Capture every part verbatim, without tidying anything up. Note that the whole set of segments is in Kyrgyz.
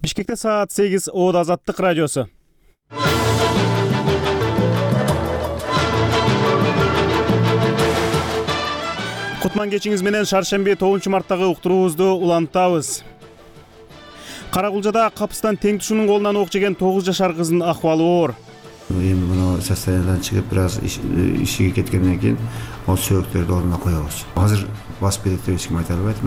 Бишкекте саат сегиз Оод Азаттык радиосу. Кутман кечиңиз менен шаршемби тогузунчу марттагы уктуруубузду улантабыз. Каракулжада капыстан тең тушунун колунан ок жеген тогуз жашар кыздын акыбалы оор. Эми муну состояниядан чыгып бир аз ишиге кеткенден кийин ол сөөктөрдү ордуна коебуз. Азыр басып кетет деп эч ким айта албайт.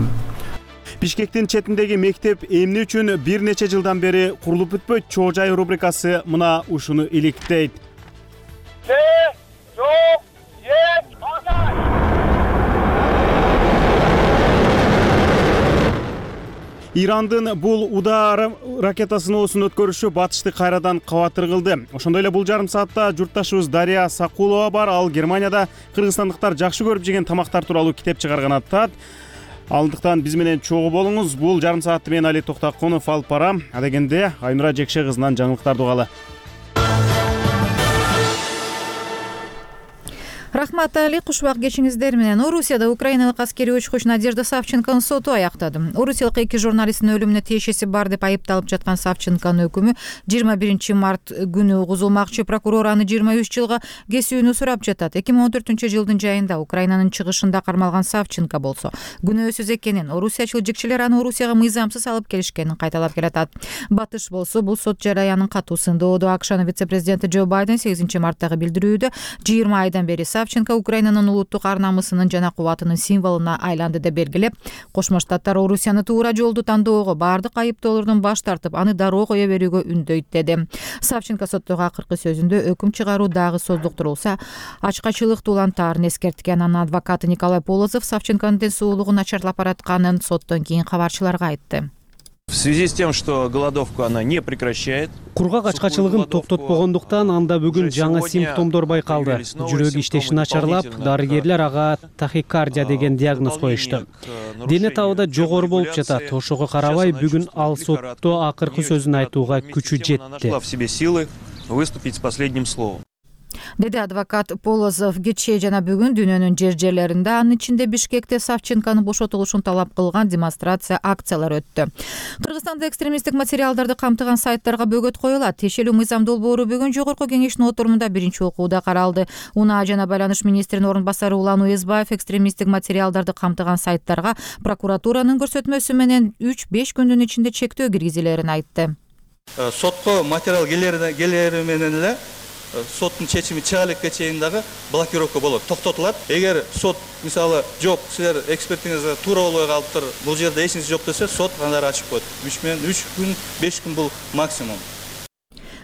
Бишкектин четиндеги мектеп эмне үчүн бир нече жылдан бери курулуп бүтпөйт? Чоо жай рубрикасы мына ушуну иликтейт. Ирандын бул удар ракетасыноосун өткөрүшү батышты кайрадан кабатыр кылды. Ошондой эле бул жарым саатта журтташыбыз Дария Сакулова бар. Ал Германияда кыргызстандыктар жакшы көрүп жеген тамактар тууралуу китеп чыгарган атат. Алдыктан биз менен чогуу болуңуз. Бул жарым саатты мен Али Токтакунов алып барам. Адегенде Айнура Жекше кызынан жаңылыктарды угалы. Рахмат Али, кушубак кечиңиздер менен. Орусияда украиналык аскерий учкуч Надежда Савченконун соту аяктады. Орусиялык эки журналисттин өлүмүнө тиешеси бар деп айыпталып жаткан Савченконун өкүмү жыйырма биринчи март күнү угузулмакчы. Прокурор аны жыйырма үч жылга кесүүнү сурап жатат. эки миң он төртүнчү жылдын жайында Украинанын чыгышында кармалган Савченко болсо күнөөсүз экенин, орусиячыл жикчилер аны Орусияга мыйзамсыз алып келишкенин кайталап келатат. Батыш болсо бул сот жараянын катуу сындоодо. АКШнын вице-президенти Джо Байден сегизинчи марттагы билдирүүдө жыйырма айдан бери Савченко Украинанын улуттук ар намысынын жана кубатынын символуна айланды деп белгилеп, Кошмо Штаттар Орусияны туура жолду тандоого, баардык айыптоолордон баш тартып, аны дароо кое берүүгө үндөйт деди. Савченко соттогу акыркы сөзүндө өкүм чыгаруу дагы создуктурулса, ачкачылыкты улантаарын эскерткен. Анын адвокаты Николай Полозов Савченконун ден соолугу начарлап баратканын соттон кийин кабарчыларга айтты. В связи с тем, что голодовку она не прекращает. Кургак ачкачылыгын токтотпогондуктан анда бүгүн жаңы симптомдор байкалды. Жүрөк иштеши начарлап, дарыгерлер ага тахикардия деген диагноз коюшту. Дене табыда жогору болуп жатат. Ошого карабай бүгүн ал сотто акыркы сөзүн айтууга күчү жетти. В себе силы выступить с последним словом. Деди адвокат Полозов. Кечээ жана бүгүн дүйнөнүн жер жерлеринде, анын ичинде Бишкекте Савченконун бошотулушун талап кылган демонстрация, акциялар өттү. Кыргызстанда экстремисттик материалдарды камтыган сайттарга бөгөт коюлат. Тиешелүү мыйзам долбоору бүгүн Жогорку кеңештин отурумунда биринчи окууда каралды. Унаа жана байланыш министринин орун басары Улан Уезбаев экстремисттик материалдарды камтыган сайттарга прокуратуранын көрсөтмөсү менен үч беш күндүн ичинде чектөө киргизилерин айтты. Сотко материал келери менен эле соттун чечими чыга элекке чейин дагы блокировка болот, токтотулат. Эгер сот мисалы жок, силер экспертиңизге туура болбой калыптыр, бул жерде эч нерсе жок десе, сот андары ачып коет. үч менен үч күн, беш күн бул максимум.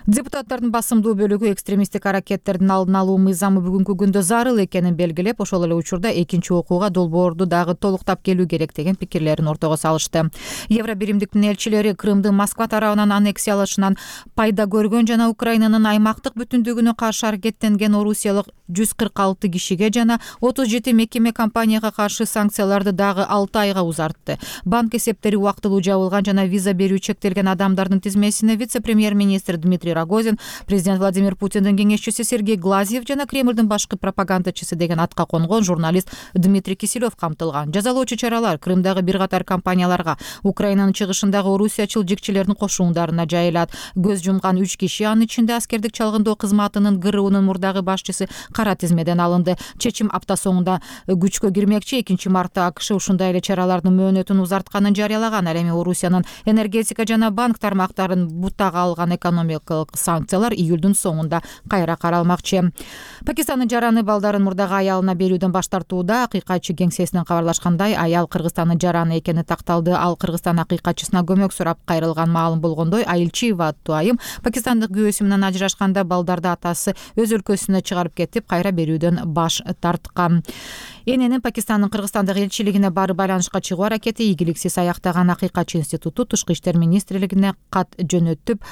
Депутаттардын басымдуу бөлүгү экстремисттик аракеттердин алдын алуу мыйзамы бүгүнкү күндө зарыл экенин белгилеп, ошол эле учурда экинчи окууга долбоорду дагы толуктап келүү керек деген пикирлерин ортого салышты. Евробиримдиктин элчилери Крымды Москва тарабынан аннексиялашынан пайда көргөн жана Украинанын аймактык бүтүндүгүнө каршы аракеттенген орусиялык жүз кырк алты кишиге жана отуз жети мекеме компанияга каршы санкцияларды дагы алты айга узартты. Банк эсептери убактылуу жабылган жана виза берүү чектелген адамдардын тизмесине вице-премьер-министр Дмитрий Рогозин, президент Владимир Путиндин кеңешчиси Сергей Глазьев жана Кремлдин башкы пропагандачысы деген атка конгон журналист Дмитрий Киселев камтылган. Жазалоочу чаралар Крымдагы бир катар компанияларга, Украинанын чыгышындагы орусиячыл жикчилердин кошуундарына жайылат. Көз жумган үч киши, анын ичинде аскердик чалгындоо кызматынын ГРУнун мурдагы башчысы кара тизмеден алынды. Чечим апта соңунда күчкө кирмекчи. экинчи мартта АКШ ушундай эле чаралардын мөөнөтүн узартканын жарыялаган. Ал эми Орусиянын энергетика жана банк тармактарын бутага алган экономикалык санкциялар июлдун соңунда кайра каралмакчы. Пакистандын жараны балдарын мурдагы аялына берүүдөн баш тартууда. Акыйкатчы кеңсесинен кабарлашкандай, аял Кыргызстандын жараны экени такталды. Ал Кыргызстан акыйкатчысына көмөк сурап кайрылган. Маалым болгондой, Айылчиева аттуу айым пакистандык күйөөсү менен ажырашканда балдарды атасы өз өлкөсүнө чыгарып кетип, кайра берүүдөн баш тарткан. Эненин Пакистандын Кыргызстандагы элчилигине барып байланышка чыгуу аракети ийгиликсиз аяктаган. Акыйкатчы институту Тышкы иштер министрлигине кат жөнөтүп,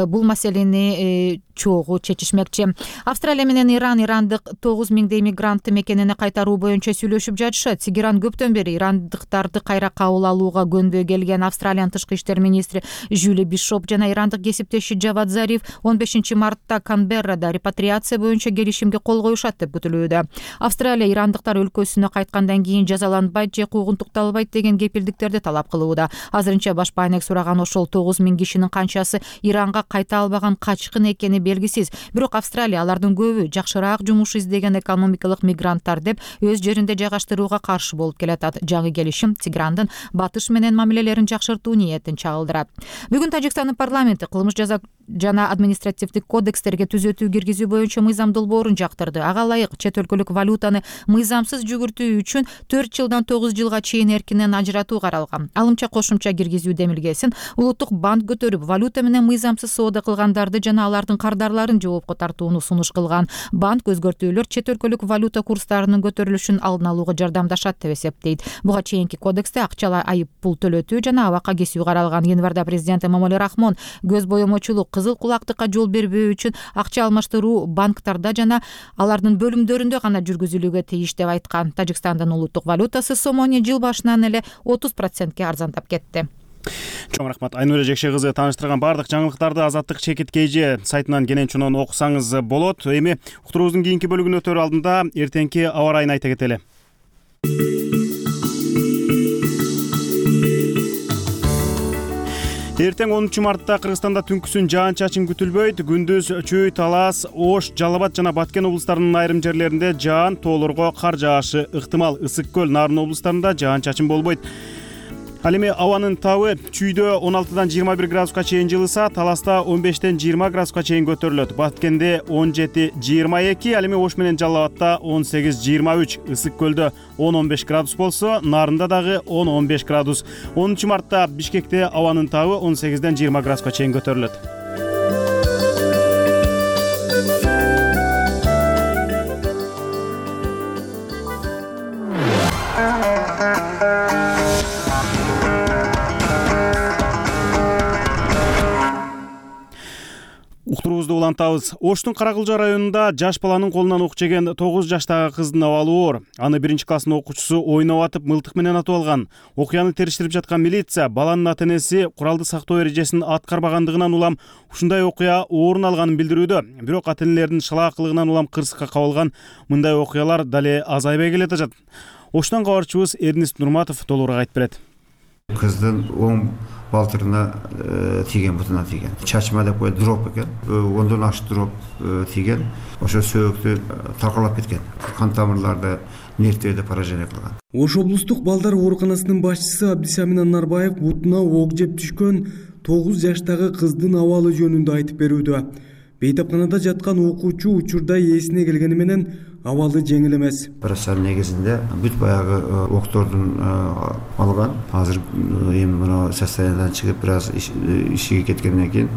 бул маселени маселени чогуу чечишмекчи. Австралия менен Иран ирандык тогуз миңдей мигрантты мекенине кайтаруу боюнча сүйлөшүп жатышат. Тегеран көптөн бери ирандыктарды кайра кабыл алууга көнбөй келген. Австралиянын тышкы иштер министри Жюли Бишоп жана ирандык кесиптеши Джавад Зариф он бешинчи мартта Канберрада репатриация боюнча келишимге кол коюшат деп күтүлүүдө. Австралия ирандыктар өлкөсүнө кайткандан кийин жазаланбайт же куугунтукталбайт деген кепилдиктерди талап кылууда. Азырынча баш байнек сураган ошол тогуз миң кишинин канчасы Иранга кайта албаган качкын экени белгисиз. Бирок Австралия алардын көбү жакшыраак жумуш издеген экономикалык мигранттар деп өз жеринде жайгаштырууга каршы болуп келатат. Жаңы келишим Тегерандын батыш менен мамилелерин жакшыртуу ниетин чагылдырат. Бүгүн Тажикстандын парламенти кылмыш жаза жана административдик кодекстерге түзөтүү киргизүү боюнча мыйзам долбоорун жактырды. Ага ылайык чет өлкөлүк валютаны мыйзамсыз жүгүртүү үчүн төрт жылдан тогуз жылга чейин эркинен ажыратуу каралган. Алымча кошумча киргизүү демилгесин улуттук банк көтөрүп, валюта менен мыйзамсыз соода кылгандарды жана алардын кардарларын жоопко тартууну сунуш кылган. Банк өзгөртүүлөр чет өлкөлүк валюта курстарынын көтөрүлүшүн алдын алууга жардамдашат деп эсептейт. Буга чейинки кодексте акчалай айып пул төлөтүү жана абакка кесүү каралган. Январда президент Эмомали Рахмон көз боемочулук, кызыл кулактыкка жол бербөө үчүн акча алмаштыруу банктарда жана алардын бөлүмдөрүндө гана жүргүзүлүүгө тийиш деп айткан. Тажикстандын улуттук валютасы сомоне жыл башынан эле отуз процентке арзандап кетти. Чоң рахмат. Айнура Жекше кызы тааныштырган бардык жаңылыктарды Азаттык чекит кж сайтынан кенен чонон окусаңыз болот. Эми уктуруубуздун кийинки бөлүгүнө өтөр алдында эртеңки аба ырайын айта кетели. Эртең онунчу мартта Кыргызстанда түнкүсүн жаан-чачын күтүлбөйт. Күндүз Чүй, Талас, Ош, Жалал Абад жана Баткен облустарынын айрым жерлеринде жаан, тоолорго кар жаашы ыктымал. Ысык көл, Нарын облустарында жаан-чачын болбойт. Ал эми абанын табы Чүйдө он алтыдан жыйырма бир градуска чейин жылыса, Таласта он бештен жыйырма градуска чейин көтөрүлөт. Баткенде он жети жыйырма эки, ал эми Ош менен Жалал Абадта он сегиз жыйырма үч, Ысык көлдө он он беш градус болсо, Нарында дагы он он беш градус. онунчу мартта Бишкекте абанын табы он сегизден жыйырма градуска чейин көтөрүлөт. Уктуруубузду улантабыз. Оштун Каракылжа районунда жаш баланын колунан ок жеген тогуз жаштагы кыздын абалы оор. Аны биринчи класстын окуучусу ойноп атып мылтык менен атып алган. Окуяны териштирип жаткан милиция баланын ата-энеси куралды сактоо эрежесин аткарбагандыгынан улам ушундай окуя орун алганын билдирүүдө. Бирок ата-энелердин шылаакылыгынан улам кырсыкка кабылган мындай окуялар дале азайбай келе жатат. Оштон кабарчыбыз Эрнист Нурматов толугураак айтып берет. Кыздын оң балтырына тийген, бутуна тийген. Чачма деп коет, дроп экен. Ондон аш дроп тийген. Ошо сөөктү таркалап кеткен. Кан тамырларды, нервтерди поражение кылган. Ош облустук балдар ооруканасынын башчысы Абдисамин Анарбаев бутуна ок жеп түшкөн тогуз жаштагы кыздын абалы жөнүндө айтып берүүдө. Бейтапканада жаткан окуучу учурда эсине келгени менен абалы жеңил эмес. Операция негизинде бүт баягы октордун алган. Азыр эми мына состояниядан чыгып бир аз ишиге кеткенден кийин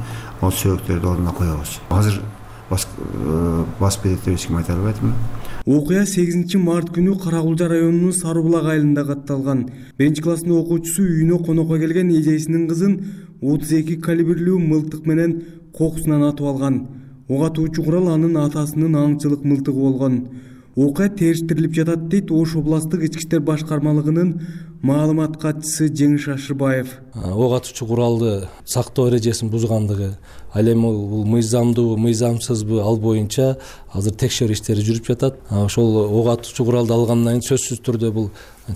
ал сөөктөрдү ордуна коебуз. Азыр бас берет деп эч ким айта албайт. Окуя сегизинчи март күнү Каракылжа районунун Сары булак айылында катталган. Биринчи класстын окуучусу үйүнө конокко келген эжесинин кызын отуз эки калибрлүү мылтык менен кокусунан атып алган. Ок атуучу курал анын атасынын аңчылык мылтыгы болгон. Окуя териштирилип жатат дейт Ош областтык ички иштер башкармалыгынын маалымат катчысы Жеңиш Ашырбаев. Ок атуучу куралды сактоо эрежесин бузгандыгы, ал эми бул мыйзамдуу, мыйзамсызбы ал боюнча азыр текшерүү иштери жүрүп жатат. Ошол ок атуучу куралды алгандан кийин сөзсүз түрдө бул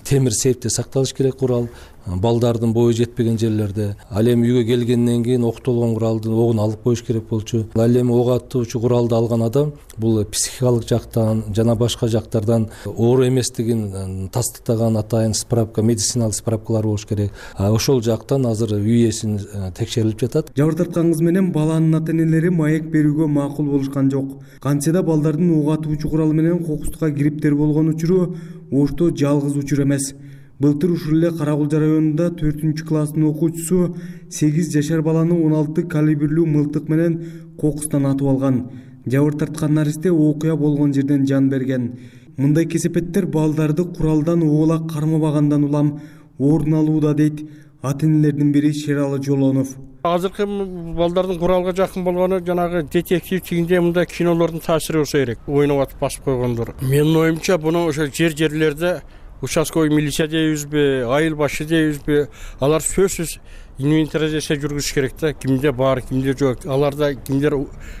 темир сейфте сакталыш керек курал. Балдардын бою жетпеген жерлерде. Ал эми үйгө келгенден кийин октолгон куралдын огун алып коюш керек болчу. Ал эми ок атуучу куралды алган адам бул психикалык жактан жана башка жактардан оор эместигин тастыктаган атайын справка, медициналык справкалар болуш керек. Ошол жактан азыр үй ээсин текшерилип жатат. Жабыр тарткан кыз менен баланын ата-энелери маек берүүгө макул болушкан жок. Кантсе да балдардын ок атуучу куралы менен кокустукка кириптер болгон учуру Ошто жалгыз учур эмес. Былтыр ушул эле Каракылжа районунда төртүнчү класстын окуучусу сегиз жашар баланы он алты калибрлүү мылтык менен кокустан атып алган. Жабыр тарткан наристе окуя болгон жерден жан берген. Мындай кесепеттер балдарды куралдан оолак кармабагандан улам орун алууда дейт ата-энелердин бири Шералы Жолонов. Азыркы балдардын куралга жакын болгону жанагы детектив тигинде мындай кинолордун таасири болсо керек. Ойноп атып басып койгондор. Менин оюмча буну ошо жер жерлерде участковый милиция дейбизби, айыл башы дейбизби, алар сөзсүз инвентаризация жүргүзүш керек да. Кимде бар, кимде жок. Аларда кимдер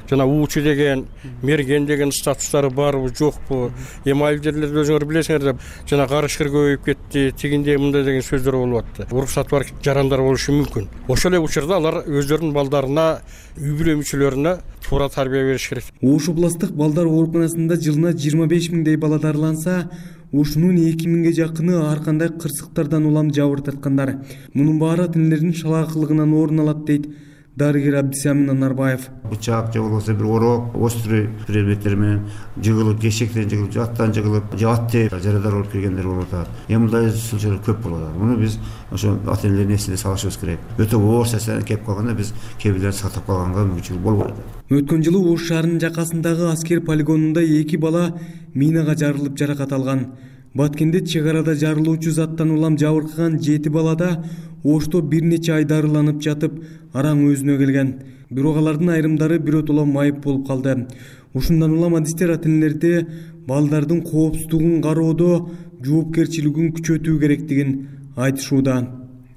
жана уучу деген, мерген деген статустары барбы, жокпу? Эми айыл жерлерде өзүңөр билесиңер да, жана карышкыр көбөйүп кетти, тигинде мындай деген сөздөр болуп атты. Уруксаты бар жарандар болушу мүмкүн. Ошол эле учурда алар өздөрүнүн балдарына, үй бүлө мүчөлөрүнө туура тарбия бериш керек. Ош областык балдар ооруканасында жылына жыйырма беш миңдей бала дарыланса, ушунун эки миңге жакыны ар кандай кырсыктардан улам жабыр тарткандар. Мунун баары тилердин шалаакылыгынан орун алат дейт дарыгер Абдисамин Анарбаев. Бычак же болбосо бир орок, острый предметтер менен жыгылып, кешектен жыгылып, жаттан жыгылып, жат деп жарадар болуп келгендер болуп атат. Эми мындай случайлар көп болуп атат. Муну биз ошо ата-энелердин эсине салышыбыз керек. Өтө оор сесен кеп калганда биз кээ бирлерин сактап калганга мүмкүнчүлүк болбойт. Өткөн жылы Ош шаарынын жакасындагы аскер полигонунда эки бала минага жарылып жаракат алган. Баткенде чек арада жарылуучу заттан улам жабыркаган жети балада Ошто бир нече ай дарыланып жатып, араң өзүнө келген. Бирок алардын айрымдары биротоло майып болуп калды. Ушундан улам адистер ата-энелерди балдардын коопсуздугун кароодо жоопкерчилигин күчөтүү керектигин айтышууда.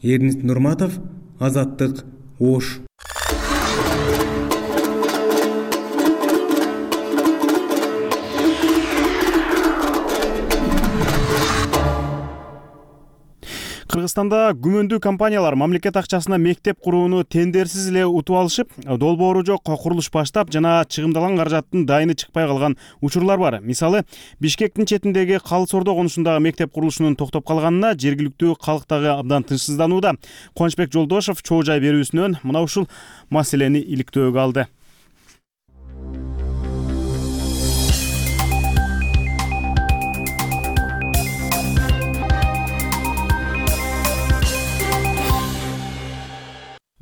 Эрнис Нурматов, Азаттык, Ош. Кыргызстанда күмөндүү компаниялар мамлекет акчасына мектеп курууну тендерсиз эле утуп алышып, долбоору жок курулуш баштап жана чыгымдалган каражаттын дайыны чыкпай калган учурлар бар. Мисалы, Бишкектин четиндеги Калы Сордо конушундагы мектеп курулушунун токтоп калганына жергиликтүү калк дагы абдан тынчсызданууда. Кубанычбек Жолдошов чоо жай берүүсүнөн мына ушул маселени иликтөөгө алды.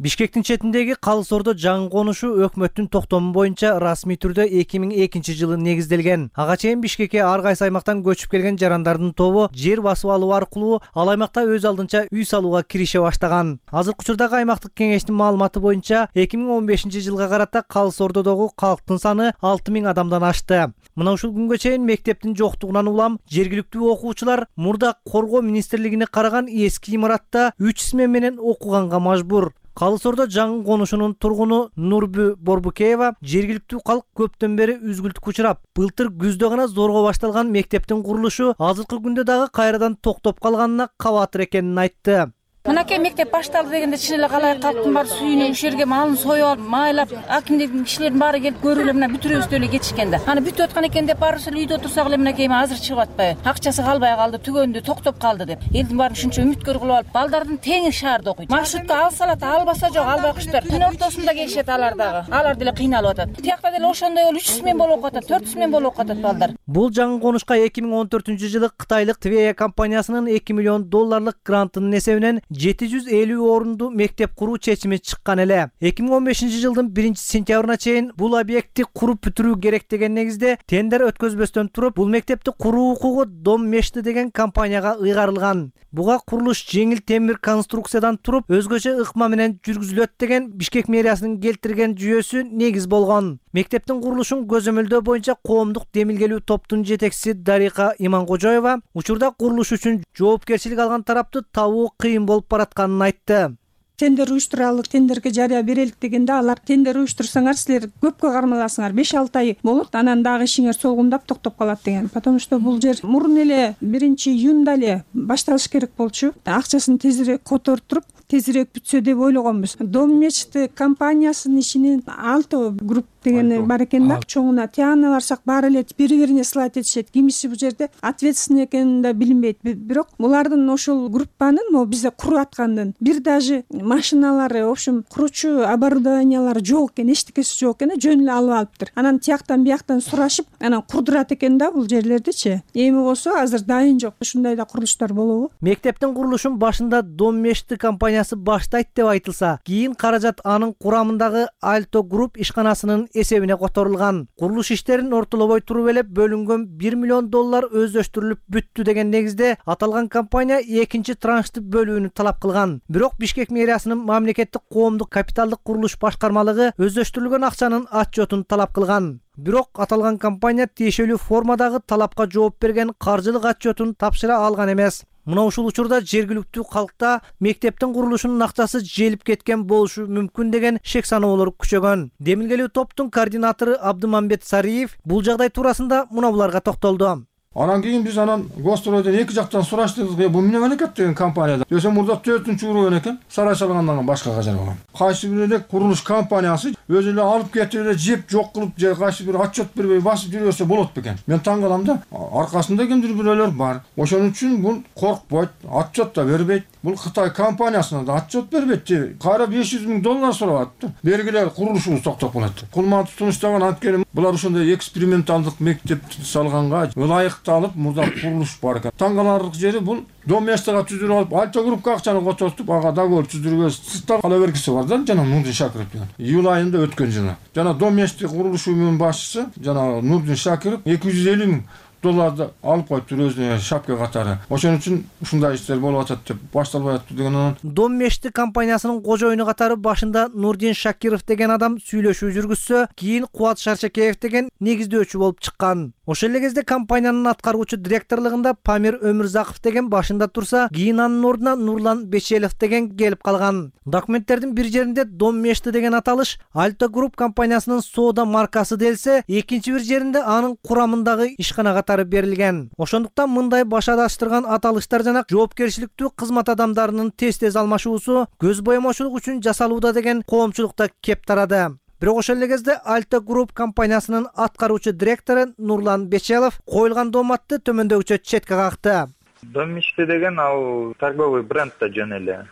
Бишкектин четиндеги Калы Сордо жаңы конушу өкмөттүн токтому боюнча расмий түрдө эки миң экинчи жылы негизделген. Ага чейин Бишкекке ар кайсы аймактан көчүп келген жарандардын тобу жер басып алуу аркылуу ал аймакта өз алдынча үй салууга кирише баштаган. Азыркы учурдагы аймактык кеңештин маалыматы боюнча эки миң он бешинчи жылга карата Калы Сордодогу калктын саны алты миң адамдан ашты. Мына ушул күнгө чейин мектептин жоктугунан улам жергиликтүү окуучулар мурда коргоо министрлигине караган эски имаратта үч смена менен окуганга мажбур. Калы Сордо жаңы конушунун тургуну Нурбү Борбукеева жергиликтүү калк көптөн бери үзгүлтүккө учурап, былтыр күздө гана зорго башталган мектептин курулушу азыркы күндө дагы кайрадан токтоп калганына кабатыр экенин айтты. Мынакей мектеп башталды дегенде чын эле калай калктын баары сүйүнүп ушул жерге малын союп алып, майлап, акимдин кишилердин баары келип көрүп эле мына бүтүрөбүз эле кетишкен да. Аны бүтүп аткан экен деп барыбыз эле үйдө отурсак эле мынакей азыр чыгып атпайбы? Акчасы калбай калды, түгөндү, токтоп калды деп. Элдин баарын ушунча үмүткөр кылып алып, балдардын теңи шаарда окуйт. Маршрутка алса алат, албаса жок, албай куштар. Түн ортосунда келишет алар дагы. Алар деле кыйналып атат. Тиякта деле ошондой болуп үч смен болуп атат, төрт смен болуп атат балдар. Бул жаңы конушка эки миң он төртүнчү жылы Кытайлык Твея компаниясынын эки миллион долларлык грантынын эсебинен жети жүз элүү орунду мектеп куруу чечими чыккан эле. эки миң он бешинчи жылдын биринчи сентябрына чейин бул объектти куруп бүтүрүү керек деген негизде тендер өткөзбөстөн туруп, бул мектепти куруу укугу Дом Мешти деген компанияга ыйгарылган. Буга курулуш жеңил темир конструкциядан туруп, өзгөчө ыкма менен жүргүзүлөт деген Бишкек мэриясынын келтирген жүйөсү негиз болгон. Мектептин курулушун көзөмөлдөө боюнча коомдук демилгелүү топтун жетекчиси Дарика Иманкожоева учурда курулуш үчүн жоопкерчилик алган тарапты табуу кыйын болуп баратканын айтты. Тендер уюштуралык, тендерге жарыя берелик дегенде алар тендер уюштурсаңар силер көпкө кармаласыңар, беш алты ай болот, анан дагы ишиңер солгундап токтоп калат деген. Потому что бул жер мурун эле биринчи июнда эле башталыш керек болчу. Акчасын тезирээк которуп, тезирээк бүтсө деп ойлогонбуз. Дом Мешти компаниясынын ишинин алты групп деген бар экен да. Чоңуна тияна барсак баары эле бири-бирине сылайт этишет. Кимиси бул жерде ответственный экени да билинбейт. Бирок булардын ошол группанын могу бизде куруп аткандын бир даже машиналары, в общем, куручу оборудованиялары жок экен, эчтекеси жок экен, жөн эле алып алыптыр. Анан тияктан бияктан сурашып, анан курдурат экен да бул жерлердичи. Эми болсо азыр дайын жок. Ушундай да курулуштар болобу? Мектептин курулушун башында Дом Мешти компаниясы компаниясы баштайт деп айтылса, кийин каражат анын курамындагы Альто Групп ишканасынын эсебине которулган. Курулуш иштерин ортолобой туруп элеп бөлүнгөн бир миллион доллар өздөштүрүлүп бүттү деген негизде аталган компания экинчи траншты бөлүүнү талап кылган. Бирок Бишкек мэриясынын мамлекеттик коомдук капиталдык курулуш башкармалыгы өздөштүрүлгөн акчанын отчетун талап кылган. Бирок аталган компания тиешелүү формадагы талапка жооп берген каржылык отчетун тапшыра алган эмес. Мына ушул учурда жергиликтүү калкта мектептин курулушунун акчасы желип кеткен болушу мүмкүн деген шек саноолор күчөгөн. Демилгелүү топтун координатору Абдымамбет Сариев бул жагдай туурасында мына буларга токтолду. Анан кийин биз анан Гостройдон эки жактан сураштырдык. Бул эмне менен экен деген компанияда. Десе мурда төртүнчү уровень экен. Сарай салгандан башка жер болгон. Кайсы бир эле курулуш компаниясы өзү эле алып кетип эле жеп жок кылып же кайсы бир отчет бербей басып жүрөсө болот бекен. Мен таң калам да. Аркасында кимдир бирөөлөр бар. Ошон үчүн бул коркпойт, отчет да бербейт. Бул Кытай компаниясына да отчет бербейт. Кайра беш жүз миң доллар сурап атты. Бергиле курулушубуз токтоп калат. Кулман тутунуштаган анткени булар ошондой эксперименталдык мектеп салганга ылайык алып мурда курулуш бар экен. Таң каларлык жери бул доместага түзүрүп алып, Альто Группка акчаны котортуп, ага договор түзүргө сыртта кала бергиси бар да, жана Нурдин Шакиров деген. Июль айында өткөн жылы. Жана доместик курулуш уюмунун башчысы, жана Нурдин Шакиров эки жүз элүү миң долларды алып коюптур өзүнө шапка катары. Ошон үчүн ушундай иштер болуп атат деп башталбай атты деген анан. Дом мешти компаниясынын кожоюну катары башында Нурдин Шакиров деген адам сүйлөшүү жүргүзсө, кийин Кубат Шаршакеев деген негиздөөчү болуп чыккан. Ошол эле кезде компаниянын аткаруучу директорлугунда Памир Өмүрзаков деген башында турса, кийин анын ордуна Нурлан Бечелов деген келип калган. Документтердин бир жеринде Дом мешти деген аталыш Альто Групп компаниясынын соода маркасы делсе, экинчи бир жеринде анын курамындагы ишкана катары берилген. Ошондуктан мындай баш адаштырган аталыштар жана жоопкерчиликтүү кызмат адамдарынын тез-тез алмашуусу көз боемочулук үчүн жасалууда деген коомчулукта кеп тарады. Бирок ошол эле кезде Альто Групп компаниясынын аткаруучу директору Нурлан Бечелов коюлган дооматты төмөндөгүчө четке какты. Дом мечты деген ал торговый бренд да жөн эле.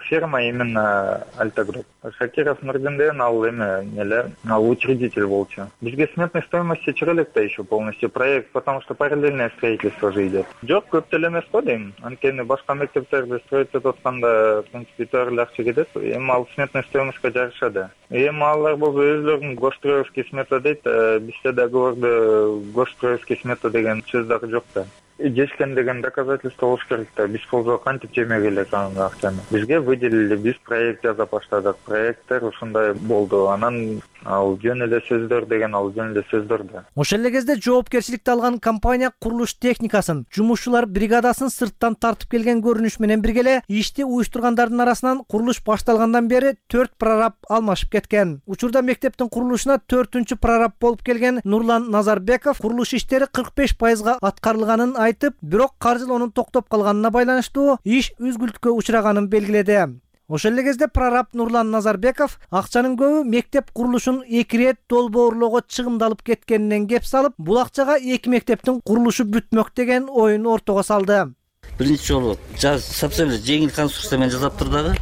Фирма именно Альто Групп. Шакиров Нурдин деген ал эме эле, ал учредитель болчу. Бизге сметной стоимости чыга элек да еще полностью проект, потому что параллельное строительство же идет. Жок, көп деле эмес го дейм. Анткени башка мектептерди строить этип атканда, в принципе, төр эле акча кетет. Эми ал сметной стоимостька жарышады. Эми алар болсо өзлөрүнүн госстроевский смета дейт, бизде договордо госстроевский смета деген сөз дагы жок да. Жешкен деген доказательство болуш керек да. Биз болсо кантип жемек элек анын акчаны. Бизге выделили, биз проект жаза баштадык. Проекттер ушундай болду. Анан ал жөн эле сөздөр деген ал жөн эле сөздөр да. Ошол эле кезде жоопкерчиликти алган компания курулуш техникасын, жумушчулар бригадасын сырттан тартып келген көрүнүш менен бирге ишти уюштургандардын арасынан курулуш башталгандан бери төрт прораб алмашып кеткен. Учурда мектептин курулушуна төртүнчү прораб болуп келген Нурлан Назарбеков курулуш иштери кырк беш пайызга аткарылганын айтып, бирок каржылоонун токтоп калганына байланыштуу иш үзгүлтүккө учураганын белгиледи. Ошол эле кезде прораб Нурлан Назарбеков акчанын көбү мектеп курулушун эки ирет долбоорлоого чыгымдалып кеткенинен кеп салып, бул акчага эки мектептин курулушу бүтмөк деген оюн ортого салды. Биринчи жолу совсем жеңил конструкция менен жасаптыр дагы.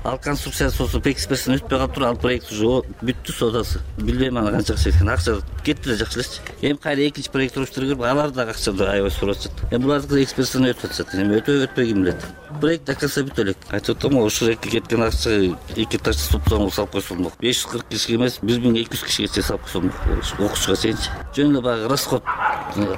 Ал конструкция соосу экспертин өтпөй калыптыр, ал проект уже бүттү соодасы. Билбейм аны канча акча кеткен. Акча кетти эле жакшы эчи. Эми кайра экинчи проект уруштуруп, алар дагы акчаны аябай сурап атышат. Эми булардыкы экспертин өтүп атышат. Эми өтөбү өтпөй ким билет. Проект до конца бүтө элек. Айтып атам, ошол эки кеткен акча эки этаж субсоң салып койсоңдук. беш жүз кырк кишиге эмес, бир миң эки жүз кишиге салып койсоңдук. Окуучуга чейинчи. Жөн эле баягы расход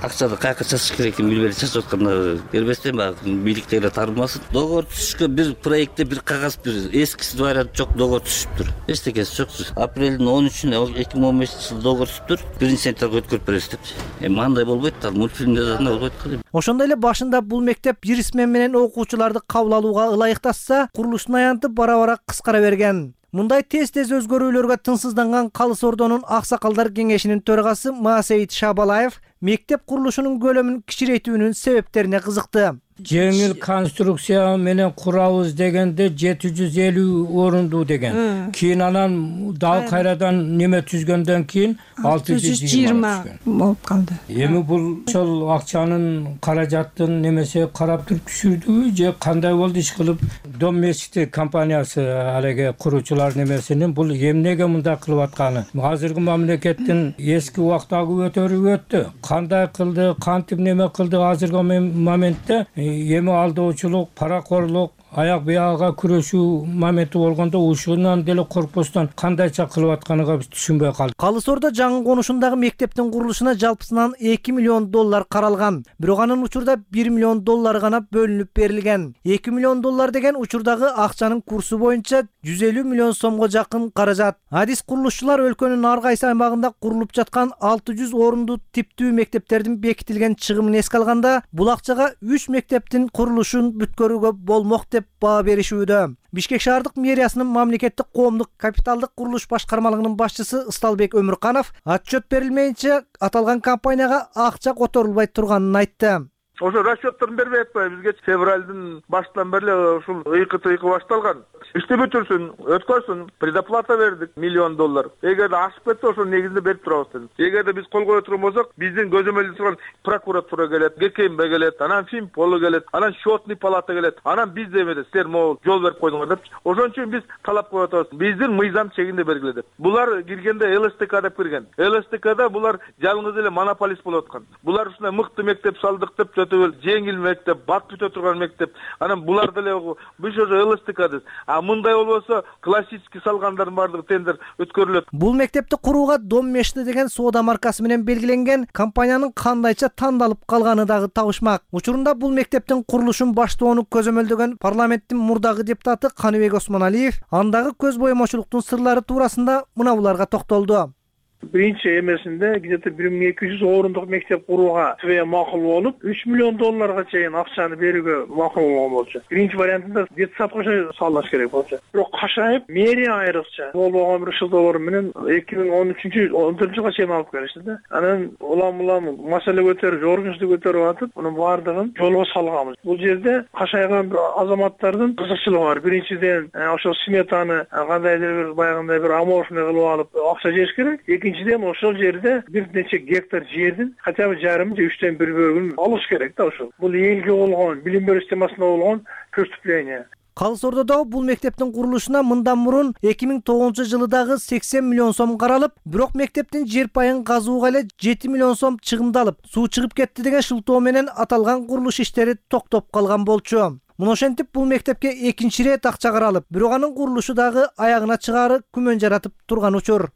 акчаны каяка чачыш керекин билбей чачып атканда бербестен баягы бийликтегилер тарбымасын. Договор түзүшкө бир проектте бир кагаз бир эскиси вариант жок, договор түзүптүр. Эчтекеси жок. Апрелдин он үчүнө эки миң он бешинчи жылы договор түзүптүр. биринчи сентябрга өткөрүп беребиз депчи. Эми андай болбойт да, мультфильмде да болбойт го. Ошондой эле башында бул мектеп жирисмен менен окуучуларды кабыл алууга ылайыкташса, курулуштун аянты бара-бара кыскара берген. Мындай тез-тез өзгөрүүлөргө тынсызданган Калыс Ордонун аксакалдар кеңешинин төрагасы Маасейит Шабалаев мектеп курулушунун көлөмүн кичирейтүүнүн себептерине кызыкты. Жеңил конструкция менен курабыз дегенде жети жүз элүү орунду деген. Кийин анан дагы кайрадан неме түзгөндөн кийин алты жүз жыйырма болуп калды. Эми бул ошол акчанын каражаттын немесе карап туруп түшүрдүбү же кандай болду иш кылып? Дом мечти компаниясы алеге куруучулар немесинин бул эмнеге мындай кылып атканы? Азыркы мамлекеттин эски убактагы өтөрүп өттү. Кандай кылды, кантип неме кылды азыркы моментте эми алдоочулук, паракорлук, аяк биягга күрөшүү моменти болгондо ушунан деле коркпостон кандайча кылып атканыга биз түшүнбөй калдык. Калы Сордо жаңы конушундагы мектептин курулушуна жалпысынан эки миллион доллар каралган. Бирок анын учурда бир миллион доллар гана бөлүнүп берилген. эки миллион доллар деген учурдагы акчанын курсу боюнча жүз элүү миллион сомго жакын каражат. Адис курулушчулар өлкөнүн ар кайсы аймагында курулуп жаткан алты жүз орунду типтүү мектептердин бекитилген чыгымын эске алганда, бул акчага үч мектептин курулушун бүткөрүүгө болмок деп баа беришүүдө. Бишкек шаардык мэриясынын мамлекеттик коомдук капиталдык курулуш башкармалыгынын башчысы Ысталбек Өмүрканов отчет берилмейинче аталган компанияга акча которулбай турганын айтты. Ошо расчётторун бербей атпайбы бизге? Февралдын башынан бери ушул ыйкы-тыйкы башталган. Ишти бүтүрсүн, өткөрсүн, предоплата бердик миллион доллар. Эгерде ашып кетсе ошонун негизинде берип турабыз дедик. Эгерде биз кол кое турган болсок, биздин көзөмөлдө турган прокуратура келет, ГКМБ келет, анан Финполу келет, анан счетный палата келет. Анан биз демеде силер могул жол берип койдуңар деп. Ошон үчүн биз талап коюп атабыз. Биздин мыйзам чегинде белгиле деп. Булар киргенде ЛСТК деп кирген. ЛСТКда булар жалгыз эле монополист болуп аткан. Булар ушундай мыкты мектеп салдык деп жеңил мектеп, бат бүтө турган мектеп. Анан булар деле биз ошо ЛСТК. А мындай болбосо классический салгандардын баардыгы тендер өткөрүлөт. Бул мектепти курууга Доммешти деген соода маркасы менен белгиленген компаниянын кандайча тандалып калганы дагы табышмак. Учурунда бул мектептин курулушун баштоону көзөмөлдөгөн парламенттин мурдагы депутаты Каныбек Осмоналиев андагы көз боемочулуктун сырлары туурасында мына буларга токтолду. Биринчи эмесинде где-то бир миң эки жүз орундук мектеп курууга тве макул болуп, үч миллион долларга чейин акчаны берүүгө макул болгон болчу. Биринчи вариантында детсадка салыш керек болчу. Бирок кашайып, мэрия айрыкча болбогон бир шылдоолор менен эки миң он үчүнчү он төртүнчү жылга чейин алып келишти да. Анан улам-улам маселе көтөрүп, жогоркучту көтөрүп атып, мунун баардыгын жолго салганбыз. Бул жерде кашайган бир азаматтардын кызыкчылыгы бар. Биринчиден, ошол сметаны кандайдыр бир баягындай бир аморфный кылып алып акча жеш керек. Экинчиден ошол жерде бир нече гектар жердин хотя бы жарым же үчтөн бир бөлүгүн алыш керек да ошол. Бул элге болгон, билим берүү системасына болгон преступление. Калы Сордодо бул мектептин курулушуна мындан мурун эки миң тогузунчу жылы дагы сексен миллион сом каралып, бирок мектептин жер пайын казууга эле жети миллион сом чыгымдалып, суу чыгып кетти деген шылтоо менен аталган курулуш иштери токтоп калган болчу. Муну ошентип бул мектепке экинчи ирет акча каралып, бирок анын курулушу дагы аягына чыгаары күмөн жаратып турган учур.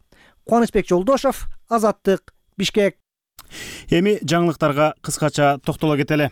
Кубанычбек Жолдошов, Азаттык, Бишкек. Эми жаңылыктарга кыскача токтоло кетели.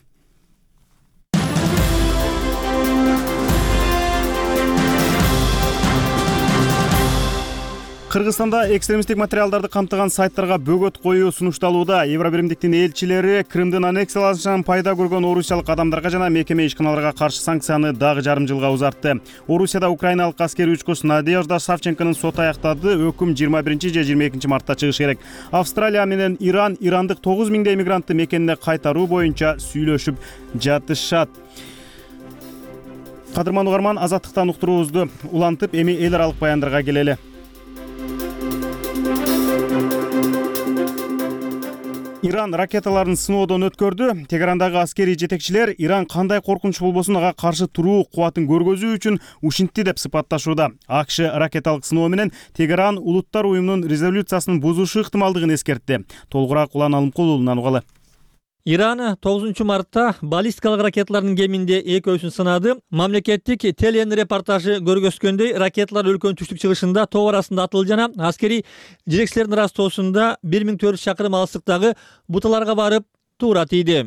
Кыргызстанда экстремисттик материалдарды камтыган сайттарга бөгөт коюу сунушталууда. Евробиримдиктин элчилери Крымдын аннексияланышынан пайда көргөн орусиялык адамдарга жана мекеме ишканаларга каршы санкцияны дагы жарым жылга узартты. Орусияда украиналык аскерий учкуч Надежда Савченконун соты аяктады. Өкүм жыйырма биринчи же жыйырма экинчи мартта чыгышы керек. Австралия менен Иран ирандык тогуз миңдей мигрантты мекенине кайтаруу боюнча сүйлөшүп жатышат. Кадырман угарман, Азаттыктан уктуруубузду улантып, эми эл аралык баяндарга келели. Иран ракеталарын сыноодон өткөрдү. Тегерандагы аскерий жетекчилер Иран кандай коркунуч болбосун ага каршы туруу кубатын көргөзүү үчүн ушинтти деп сыпатташууда. АКШ ракеталык сыноо менен Тегеран Улуттар уюмунун резолюциясын бузушу ыктымалдыгын эскертти. Толугураак Улан Алымкулулунан угалы. Иран тогузунчу мартта баллистикалык ракеталардын кеминде экөөсүн сынады. Мамлекеттик телен репортажы көргөзгөндөй, ракеталар өлкөнүн түштүк чыгышында тоо арасында атылды жана аскерий жетекчилердин растоосунда бир миң төрт жүз чакырым алыстыктагы буталарга барып туура тийди.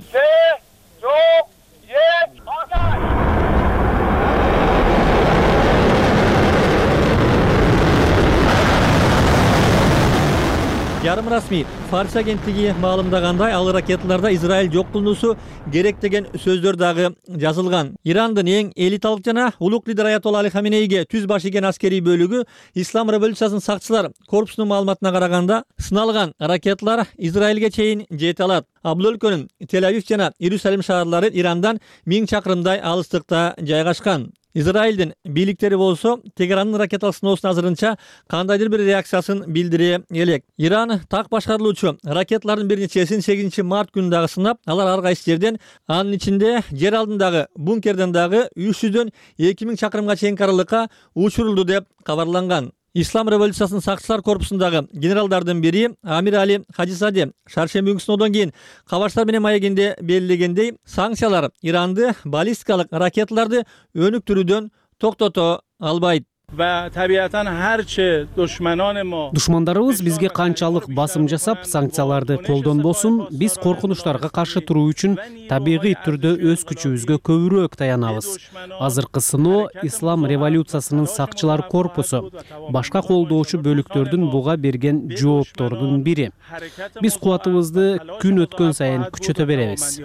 Ярым расмий Фарс агенттиги маалымдагандай, ал ракеталарда Израиль жок кылынуусу керек деген сөздөр дагы жазылган. Ирандын эң элиталык жана улук лидер Аятолла Али Хаменейге түз баш ийген аскерий бөлүгү Ислам революциясынын сакчылар корпусунун маалыматына караганда, сыналган ракеталар Израилге чейин жете алат. А бул өлкөнүн Тель-Авив жана Иерусалим шаарлары Ирандан миң чакырымдай алыстыкта жайгашкан. Израилдин бийликтери болсо Тегерандын ракеталык сыноосуна азырынча кандайдыр бир реакциясын билдире элек. Иран так башкарылуучу ракеталардын бир нечесин сегизинчи март күнү дагы сынап, алар ар кайсы жерден, анын ичинде жер алдындагы бункерден дагы үч жүздөн эки миң чакырымга чейинки аралыкка учурулду деп кабарланган. Ислам революциясынын сакчылар корпусундагы генералдардын бири Амир Али Хажисаде шаршемби күнкү сыноодон кийин кабарчылар менен маегинде белгилегендей, санкциялар Иранды баллистикалык ракеталарды өнүктүрүүдөн токтото албайт. Va tabiatan harchi dushmanon mo Душмандарыбыз бизге канчалык басым жасап, санкцияларды колдонбосун, биз коркунучтарга каршы туруу үчүн табигый түрдө өз күчүбүзгө көбүрөөк таянабыз. Азыркы сыноо Ислам революциясынын сакчылар корпусу башка колдоочу бөлүктөрдүн буга берген жооптордун бири. Биз кубатыбызды күн өткөн сайын күчөтө беребиз.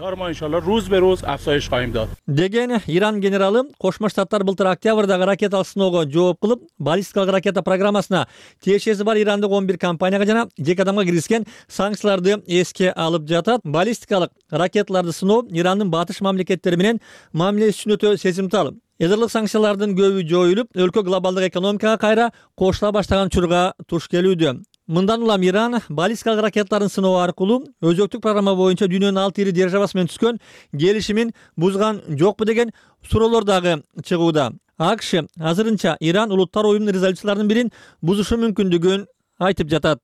Деген Иран генералы Кошмо Штаттар былтыр октябрдагы ракеталык сыноого жооп кылып, баллистикалык ракета программасына тиешеси бар ирандык он бир компанияга жана жеке адамга киргизген санкцияларды эске алып жатат. Баллистикалык ракеталарды сыноо Ирандын батыш мамлекеттери менен мамилеси үчүн өтө сезимтал. Эдерлик санкциялардын көбү жоюлуп, өлкө глобалдык экономикага кайра кошула баштаган учурга туш келүүдө. Мындан улам Иран баллистикалык ракеталарын сыноо аркылуу өзөктүк программа боюнча дүйнөнүн алты ири державасы менен түзгөн келишимин бузган жокпу деген суроолор дагы чыгууда. АКШ азырынча Иран улуттар уюмунун резолюцияларынын бирин бузушу мүмкүндүгүн айтып жатат.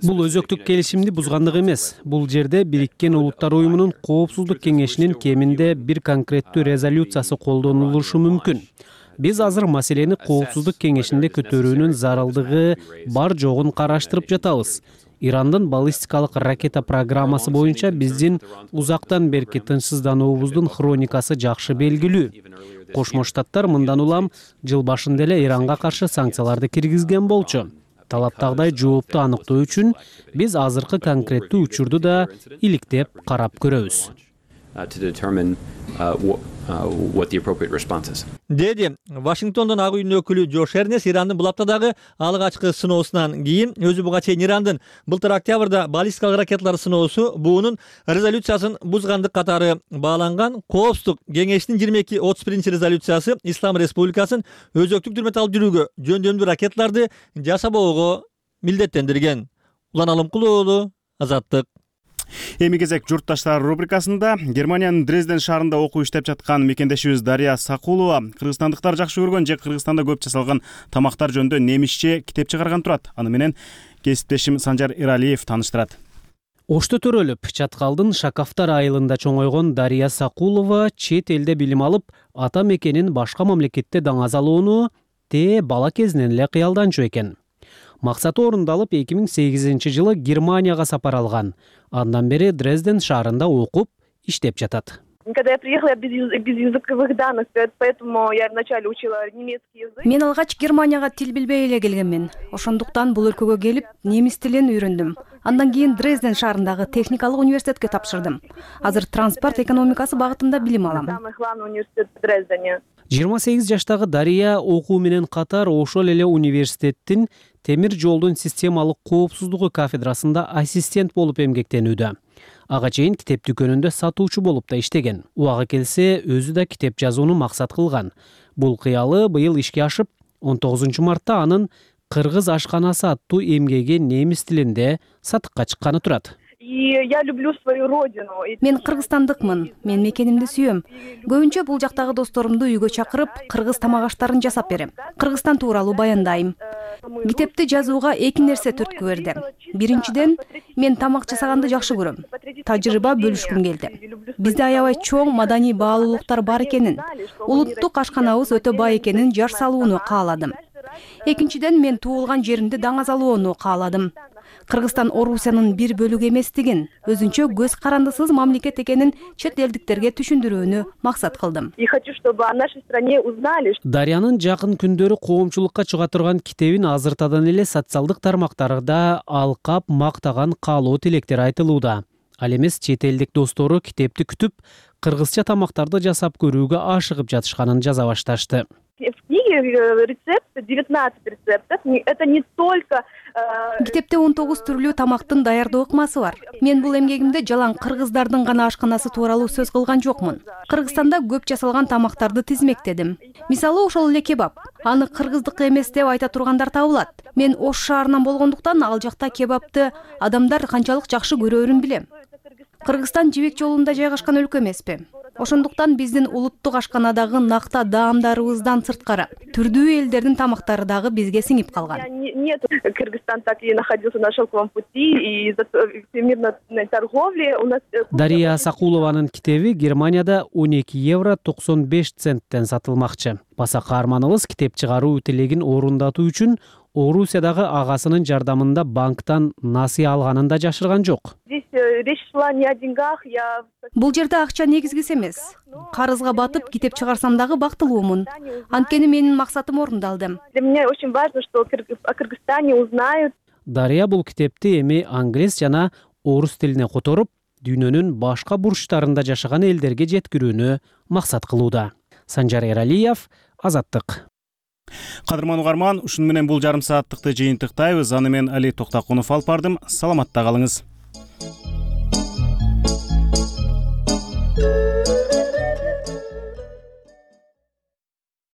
Бул өзөктүк келишимди бузгандык эмес. Бул жерде Бириккен Улуттар уюмунун Коопсуздук кеңешинин кеминде бир конкреттүү резолюциясы колдонулушу мүмкүн. Биз азыр маселени Коопсуздук кеңешинде көтөрүүнүн зарылдыгы бар жогун караштырып жатабыз. Ирандын баллистикалык ракета программасы боюнча биздин узактан берки тынчсыздануубуздун хроникасы жакшы белгилүү. Кошмо Штаттар мындан улам жыл башында эле Иранга каршы санкцияларды киргизген болчу. Талаптагыдай жоопту аныктоо үчүн биз азыркы конкреттүү учурду да иликтеп карап көрөбүз. Деди Вашингтондон ак үйдүн өкүлү Джош Эрнес Ирандын бул аптадагы алгачкы сыноосунан кийин өзү буга чейин Ирандын былтыр октябрда баллистикалык ракеталар сыноосу буунун резолюциясын бузгандык катары бааланган. Коопсуздук кеңешинин жыйырма эки отуз биринчи резолюциясы Ислам Республикасын өзөктүк түрмөтө алып жүрүүгө жөндөмдүү ракеталарды жасабоого милдеттендирген. Улан Алымкулуу уулу, Азаттык. Эми кезек журтташтар рубрикасында Германиянын Дрезден шаарында окуп иштеп жаткан мекендешибиз Дария Сакулова кыргызстандыктар жакшы көргөн же Кыргызстанда көп жасалган тамактар жөнүндө немисче китеп чыгарган турат. Аны менен кесиптешим Санжар Иралиев тааныштырат. Ошто төрөлүп, Чаткалдын Шакафтар айылында чоңойгон Дария Сакулова чет элде билим алып, ата мекенин башка мамлекетте даңазалоону те бала кезинен эле кыялданчу экен. Максаты орундалып, эки миң сегизинчи жылы Германияга сапар алган. Андан бери Дрезден шаарында окуп, иштеп жатат. Когда я приехала, я без, без языковых данных, поэтому я вначале учила немецкий язык. Мен алгач Германияга тил билбей эле келгенмин. Ошондуктан бул өлкөгө келип, немис тилин үйрөндүм. Андан кийин Дрезден шаарындагы техникалык университетке тапшырдым. Азыр транспорт экономикасы багытында билим алам. Самый главный университет в Дрездене. жыйырма сегиз жаштагы Дария окуу менен катар ошол эле университеттин темир жолдун системалык коопсуздугу кафедрасында ассистент болуп эмгектенүүдө. Ага чейин китеп дүкөнүндө сатуучу болуп да иштеген. Убагы келсе, өзү да китеп жазууну максат кылган. Бул кыялы быйыл ишке ашып, он тогузунчу мартта анын Кыргыз ашканасы аттуу эмгеги немис тилинде сатыкка чыкканы турат. И я люблю свою родину. Мен кыргызстандыкмын. Мен мекенимди сүйөм. Көбүнчө бул жактагы досторумду үйгө чакырып, кыргыз тамак аштарын жасап берем. Кыргызстан тууралуу баяндайм. Китепти жазууга эки нерсе түрткү берди. Биринчиден, мен тамак жасаганды жакшы көрөм. Тажрыйба бөлүшкүм келди. Бизде аябай чоң маданий баалуулуктар бар экенин, улуттук ашканабыз өтө бай экенин жар салууну кааладым. Экинчиден, мен туулган жеримди даңазалоону кааладым. Кыргызстан Орусиянын бир бөлүгү эместигин, өзүнчө көз карандысыз мамлекет экенин чет элдиктерге түшүндүрүүнү максат кылдым. И хочу, чтобы о нашей стране узнали. Дариянын жакын күндөрү коомчулукка чыга турган китебин азыртадан эле социалдык тармактарда алкап мактаган каалоо тилектер айтылууда. Ал эмес чет элдик достору китепти күтүп, кыргызча тамактарды жасап көрүүгө ашыгып жатышканын жаза башташты. В книге рецепты, девятнадцать рецептов. Это не только... Китепте он тогуз түрлүү тамактын даярдоо ыкмасы бар. Мен бул эмгегимде жалаң кыргыздардын гана ашканасы тууралуу сөз кылган жокмун. Кыргызстанда көп жасалган тамактарды тизмектедим. Мисалы, ошол эле кебаб. Аны кыргыздык эмес деп айта тургандар табылат. Мен Ош шаарынан болгондуктан ал жакта кебабты адамдар канчалык жакшы көрөөрүн билем. Кыргызстан жибек жолунда жайгашкан өлкө эмеспи? Ошондуктан биздин улуттук ашканадагы накта даамдарыбыздан сырткары түрдүү элдердин тамактары дагы бизге сиңип калган. Нет, Кыргызстан так и находился на шелковом пути, и из-за всемирной торговли у нас... Дария Сакулованын китеби Германияда он эки евро токсон беш центтен сатылмакчы. Баса каарманыбыз китеп чыгаруу тилегин орундатуу үчүн Орусиядагы агасынын жардамында банктан насыя алганын да жашырган жок. Здесь речь шла не о деньгах, я... Бул жерде акча негизгиси эмес. Карызга батып китеп чыгарсам дагы бактылуумун. Анткени менин максатым орундалды. Для меня очень важно, что о Кыргызстане узнают. Дария бул китепти эми англис жана орус тилине которуп, дүйнөнүн башка бурчтарында жашаган элдерге жеткирүүнү максат кылууда. Санжар Эралиев, Азаттык. Кадырман угарман, ушуну менен бул жарым сааттыкты жыйынтыктайбыз. Аны мен Али Токтакунов алып бардым. Саламатта калыңыз.